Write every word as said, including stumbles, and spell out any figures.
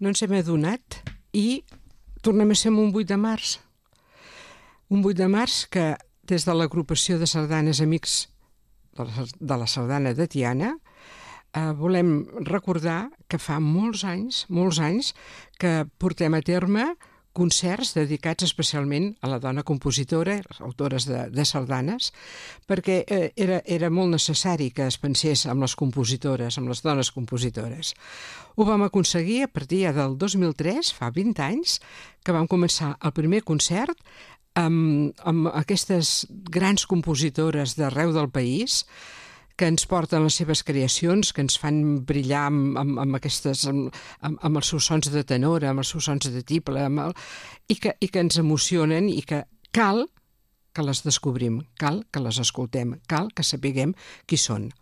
no ens hem adonat i tornem a ser en un vuit de març. Un vuit de març que des de l'agrupació de sardanes Amics de la Sardana de Tiana eh, volem recordar que fa molts anys, molts anys que portem a terme concerts dedicats especialment a la dona compositora, les autores de, de sardanes, perquè eh, era, era molt necessari que es pensés amb les compositores, amb les dones compositores. Ho vam aconseguir a partir del dos mil tres, fa vint anys, que vam començar el primer concert amb, amb aquestes grans compositores d'arreu del país que ens porten les seves creacions, que ens fan brillar amb, amb, amb, aquestes, amb, amb, amb els seus sons de tenor, amb els seus sons de tiple, amb el, i, que, i que ens emocionen i que cal que les descobrim, cal que les escoltem, cal que sapiguem qui són.